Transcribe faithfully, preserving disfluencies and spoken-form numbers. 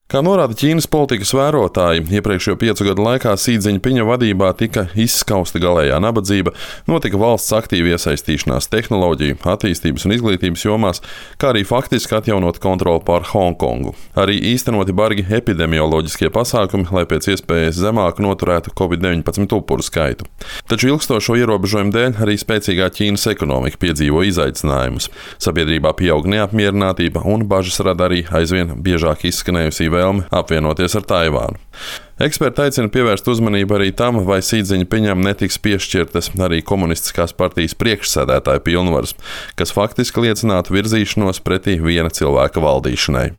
Kā norāda Ķīnas politikas vērotāji, iepriekšējo piecu gadu laikā Sī Dziņpiņa vadībā tika izskausta galējā nabadzība, notika valsts aktīva iesaistīšanās tehnoloģiju, attīstības un izglītības jomās, kā arī faktiski atjaunot kontroli pār Hongkongu. Arī īstenoti bargi epidemioloģiskie pasākumi, lai pēc iespējas zemāk noturētu covid deviņpadsmit upuru skaitu. Taču ilgstošo ierobežojumu dēļ arī spēcīgā Ķīnas ekonomika piedzīvo izaicinājumus. Sabiedrībā pieaug neapmierinātība un bažas rada arī aizvien biežāk izskanējusī vēlme apvienoties ar Taivānu. Eksperti aicina pievērst uzmanību arī tam, vai Sī Dziņpiņam netiks piešķirtas arī komunistiskās partijas priekšsēdētāja pilnvaras, kas faktiski liecinātu virzīšanos pretī viena cilvēka valdīšanai.